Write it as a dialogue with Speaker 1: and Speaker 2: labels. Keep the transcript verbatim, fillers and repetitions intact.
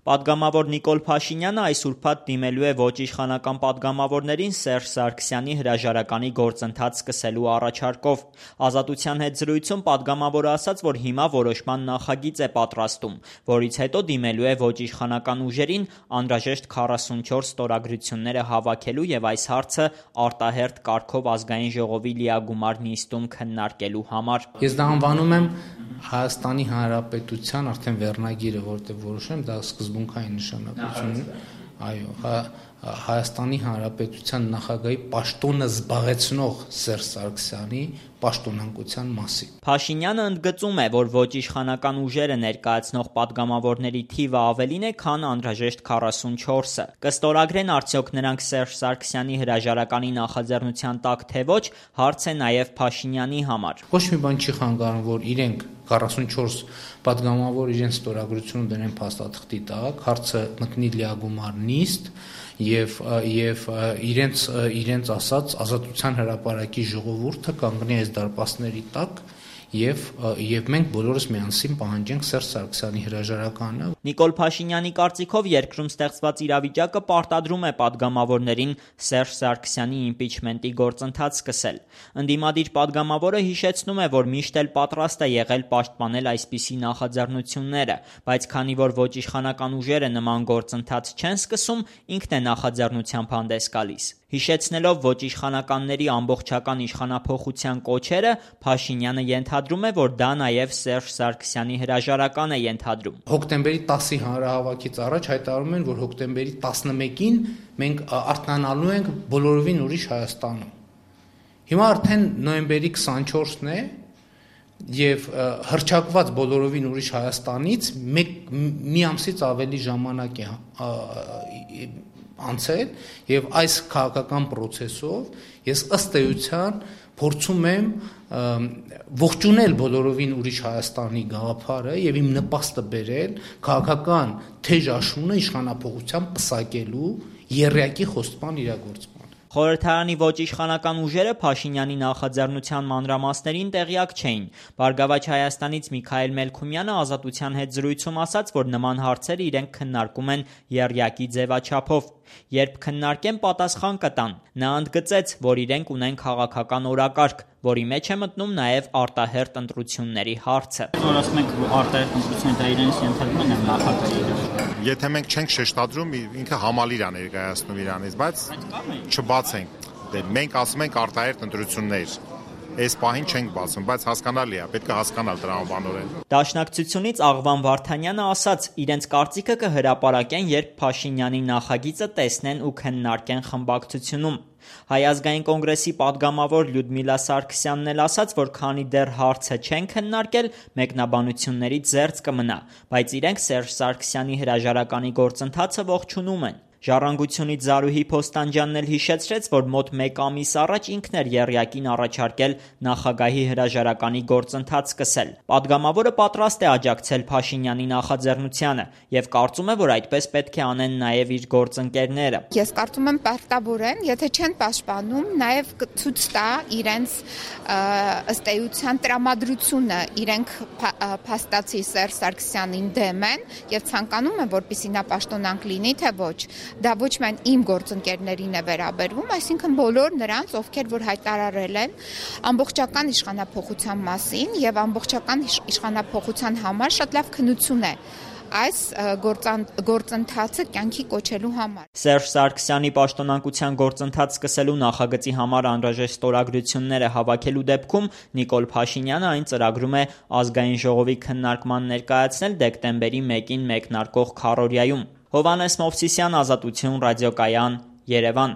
Speaker 1: Պատգամավոր Նիկոլ Փաշինյանը այս ուրբաթ դիմելու է ոչ իշխանական պատգամավորներին Սերժ Սարգսյանի հրաժարականի գործընթաց սկսելու առաջարկով։ Ազատության հետ զրույցում պատգամավորը ասաց, որ հիմա որոշման նախագիծ է պատրաստում, որից հետո դիմելու է ոչ իշխանական ուժերին անհրաժեշտ քառասունչորս ստորագրությունները հավաքելու եւ այս հարցը արտահերթ կարգով ազգային ժողովի լիագումար նիստում քննարկելու համար։
Speaker 2: Ես դա անվանում եմ Հայաստանի Հանրապետության արդեն վերնագիրը, որտեղ որոշեմ, դա սկզբունքային նշանակություն ունի, այո, Հայաստանի Հանրապետության նախագահի պաշտոնը զբաղեցնող Սերժ Սարգսյանի պաշտոնանկության մասին։
Speaker 1: Փաշինյանը ընդգծում է, որ ոչ իշխանական ուժերը ներկայացնող պատգամավորների թիվը ավելին է, քան անհրաժեշտ քառասունչորսը։ Կստորագրեն արդյոք նրանք Սերժ Սարգսյանի հրաժարականի նախաձեռնության տակ, թե ոչ, հարց է նաև Փաշինյանի համար։
Speaker 2: Ոչ մի բան չի խանգարում, որ իրենք քառասունչորս պատգամավոր իրենց ստորագրությունը դնեն փաստաթղթի տակ, հարցը մտնի լիագումար նիստ եւ եւ իրենց իրենց ասած Ազատության հրապարակի ժողովուրդը կանգնի այս դարպասների տակ եւ եւ մենք բոլորս միասին պահանջենք Սերժ Սարգսյանի հրաժարականը։
Speaker 1: Նիկոլ Փաշինյանի կարծիքով երկրում ստեղծված իրավիճակը պարտադրում է պատգամավորներին Սերժ Սարգսյանի իմպիչմենտի գործընթաց սկսել։ Ընդդիմադիր պատգամավորը հիշեցնում է, որ միշտ էլ պատրաստ է եղել պաշտպանել այսպիսի նախաձեռնությունները, բայց քանի որ ոչ իշխանական ուժերը նման գործընթաց չեն սկսում, ինքն է նախաձեռնությամբ հանդես գալիս։ Հիշեցնելով ոչ իշխանականների ամբողջական իշխանափոխության կոչերը, Փաշինյանը ենթադրում է, որ դա նաև Սերժ Սարգսյանի հրաժարական է ենթադրում։
Speaker 2: Հոկտեմբերի տասի հանրահավաքից առաջ հայտարարում են, որ հոկտեմբերի տասնմեկին մենք արթնանալու ենք բոլորովին ուրիշ Հայաստանում։ Հիմա արդեն նոյեմբերի քսանչորսն է եւ հռչակված բոլորովին ուրիշ Հայաստանից մեկ մի ամսից ավելի ժամանակ է անցել եւ այս քաղաքական process-ով ես ըստ էության փորձում եմ ողջունել բոլորովին ուրիշ Հայաստանի գաղափարը եւ իմ նպաստը բերել քաղաքական թեժ աշունը իշխանափոխության պսակելու եռյակի խոստման իրագործման։
Speaker 1: Խորհրդարանի ոչ իշխանական ուժերը Փաշինյանի նախաձեռնության մանրամասներին տեղյակ չէին։ Բարգավաճ Հայաստանից Միքայել Մելքումյանը Ազատության հետ զրույցում ասաց, որ նման հարցեր իրենք քննարկում են եռյակի ձևաչափով։ Երբ քննարկեն, պատասխան կտան։ Նա ընդգծեց, որ իրենք ունեն քաղաքական օրակարգ, որի մեջ է մտնում նաև արտահերթ ընտրությունների հարցը։
Speaker 3: Որ ասում եք արտահերթ ընտրությունները դա իրենից ենթարկում են նախագահի։
Speaker 4: Եթե մենք չենք շեշտադրում, ինքը համալիր է ներկայացնում իրանից, բայց չբացենք։ Դե մենք ասում ենք արտահերթ ընտրություններ։ Այս պահին չենք բացում, բայց հասկանալի է, պետք է հասկանալ տրամաբանորեն։
Speaker 1: Դաշնակցությունից Աղվան Վարդանյանը ասաց, իրենց կարծիքը կհրապարակեն, երբ Փաշինյանի նախագիծը տեսնեն ու քննարկեն խմբակցությունում։ Հայ ազգային կոնգրեսի պատգամավոր Լյուդմիլա Սարգսյանն էլ ասաց, որ քանի դեռ հարցը չեն քննարկել, մեկնաբանություններից զերծ կմնա, բայց իրենք Սերժ Սարգսյանի հրաժարականի գործընթացը ողջունում են։ Ժառանգությունից Զարուհի Փոստանջյանն էլ հիշեցրեց, որ մոտ մեկ ամիս առաջ ինքն էր եռյակին առաջարկել նախագահի հրաժարականի գործընթաց սկսել։ Պատգամավորը պատրաստ է աջակցել Փաշինյանի նախաձեռնությանը եւ կարծում է, որ այդպես պետք է անեն նաեւ իր գործընկերները։
Speaker 5: Ես կարծում եմ պարտավոր են, եթե չեն պաշտպանում, նաեւ ցույց տա իրենց ըստ էության տրամադրությունը, իրենք փաստացի Սերժ Սարգսյանին դեմ են եւ ցանկանում են, որպեսզի նա պաշտոնանկ լինի, թե ոչ։ Դա ոչ միայն իմ գործընկերներին է վերաբերվում, այսինքն բոլոր նրանց, ովքեր որ հայտարարել են ամբողջական իշխանափոխության մասին եւ ամբողջական իշխանափոխության համար շատ լավ քննություն է այս գործընթացը կյանքի կոչելու համար։
Speaker 1: Սերժ Սարգսյանի պաշտոնանկության գործընթաց սկսելու նախագծի համար անհրաժեշտ ստորագրությունները հավաքելու դեպքում Նիկոլ Փաշինյանը այն ծրագրում է ազգային ժողովի քննարկման ներկայացնել դեկտեմբերի մեկին մեկնարկող քառօրյայում։ Հովհաննես Մովսիսյան, Ազատություն, ռադիոկայան, Երևան։